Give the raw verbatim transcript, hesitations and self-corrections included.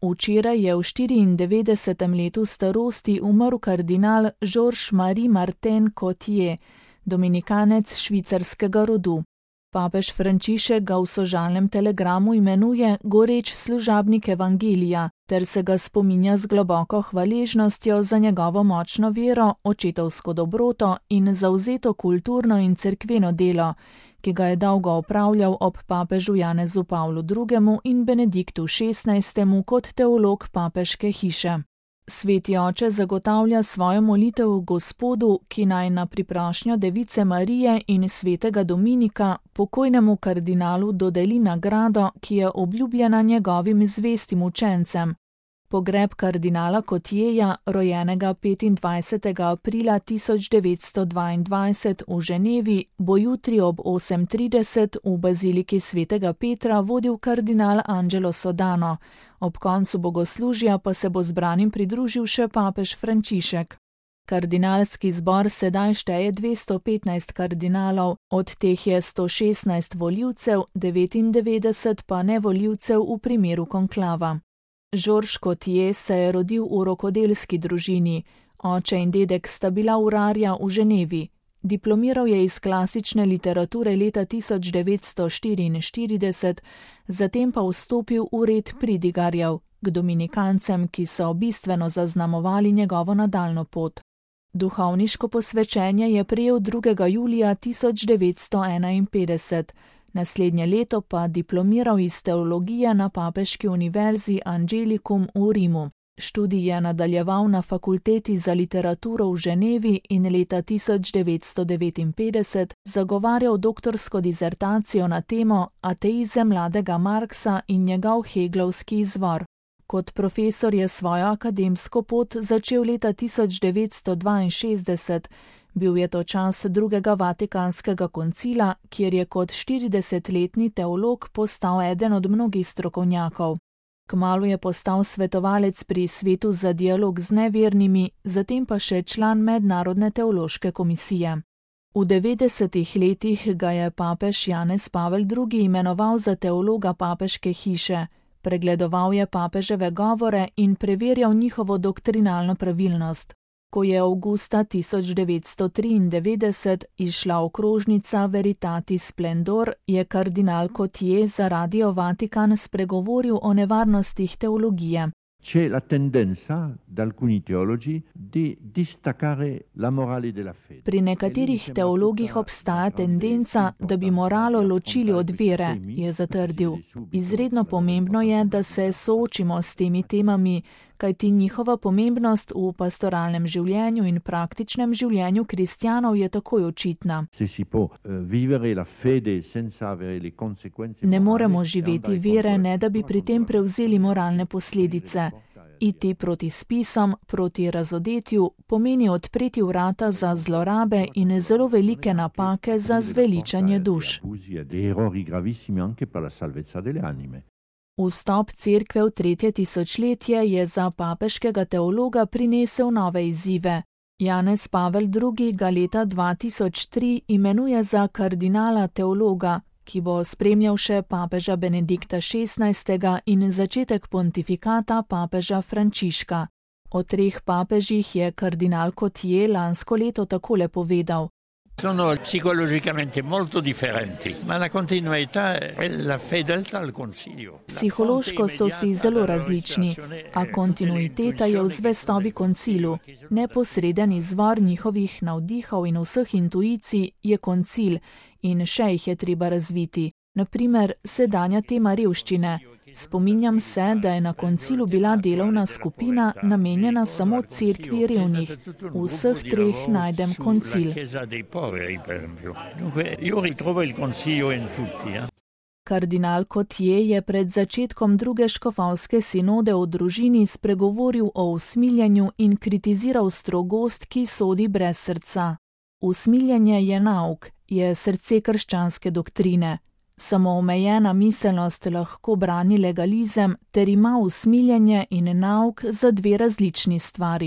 Včeraj je v štiriindevetdesetem letu starosti umrl kardinal Georges-Marie Martin Cotier, dominikanec švicarskega rodu. Papež Frančišek ga v sožalnem telegramu imenuje goreč služabnik evangelija ter se ga spominja z globoko hvaležnostjo za njegovo močno vero, očetovsko dobroto in zavzeto kulturno in cerkveno delo, ki ga je dolgo opravljal ob papežu Janezu Pavlu drugemu in Benediktu šestnajstemu kot teolog papeške hiše. Sveti oče zagotavlja svojo molitev Gospodu, ki naj na priprošnjo Device Marije in svetega Dominika pokojnemu kardinalu dodeli nagrado, ki je obljubljena njegovim zvestim učencem. Pogreb kardinala Cotierja, rojenega petindvajsetega aprila tisoč devetsto dvaindvajset v Ženevi, bo jutri ob osem trideset v baziliki svetega Petra vodil kardinal Angelo Sodano. Ob koncu bogoslužja pa se bo zbranim pridružil še papež Frančišek. Kardinalski zbor sedaj šteje dvesto petnajst kardinalov, od teh je sto šestnajst volivcev, devetindevetdeset pa nevolivcev v primeru konklava. Georges Cotier se je rodil v rokodelski družini, oče in dedek sta bila urarja v Ženevi. Diplomiral je iz klasične literature leta tisoč devetsto štiriinštirideset, zatem pa vstopil v red pridigarjev, k dominikancem, ki so bistveno zaznamovali njegovo nadaljnjo pot. Duhovniško posvečenje je prejel drugega julija tisoč devetsto enainpetdeset, naslednje leto pa diplomiral iz teologije na Papeški univerzi Angelicum v Rimu. Študij je nadaljeval na fakulteti za literaturo v Ženevi in leta tisoč devetsto devetinpetdeset zagovarjal doktorsko disertacijo na temo Ateizem mladega Marksa in njegov heglovski izvor. Kot profesor je svojo akademsko pot začel leta tisoč devetsto dvainšestdeset, bil je to čas drugega Vatikanskega koncila, kjer je kot štiridesetletni teolog postal eden od mnogih strokovnjakov. Kmalu je postal svetovalec pri Svetu za dialog z nevernimi, zatem pa še član Mednarodne teološke komisije. V devetdesetih letih ga je papež Janez Pavel drugi imenoval za teologa papeške hiše, pregledoval je papeževe govore in preverjal njihovo doktrinalno pravilnost. Ko je avgusta tisoč devetsto triindevetdeset izšla okrožnica Veritatis Splendor, je kardinal Cotier za Radio Vatikan spregovoril o nevarnostih teologije. C'è la tendenza da alcuni teologi di distaccare la morale della fede. Pri nekaterih teologih obstaja tendenca, da bi moralo ločili od vere, je zatrdil. Izredno pomembno je, da se soočimo s temi temami, kajti njihova pomembnost v pastoralnem življenju in praktičnem življenju kristjanov je takoj očitna. Ne moremo živeti vere, ne da bi pri tem prevzeli moralne posledice. Iti proti spisom, proti razodetju, pomeni odpreti vrata za zlorabe in zelo velike napake za zveličanje duš. Vstop cerkve v tretje tisočletje je za papeškega teologa prinesel nove izzive. Janez Pavel drugi ga leta dva tisoč tri imenuje za kardinala teologa, ki bo spremljal še papeža Benedikta šestnajstega in začetek pontifikata papeža Frančiška. O treh papežih je kardinal Cotier lansko leto takole povedal. Sono psicologicamente molto differenti, ma la continuità è la fedeltà al concilio. Psihološko so si zelo različni, a kontinuiteta je v zvestobi koncilu. Neposreden izvor njihovih navdihov in vseh intuicij je koncil in še jih je treba razviti. Naprimer, sedanja tema revščine. Spominjam se, da je na koncilu bila delovna skupina namenjena samo cerkvi revnih. V vseh treh najdem koncil. Kardinal Cotier je pred začetkom druge škofovske sinode o družini spregovoril o usmiljenju in kritiziral strogost, ki sodi brez srca. Usmiljenje je nauk, je srce krščanske doktrine. Samo omejena miselnost lahko brani legalizem ter ima usmiljenje in nauk za dve različni stvari.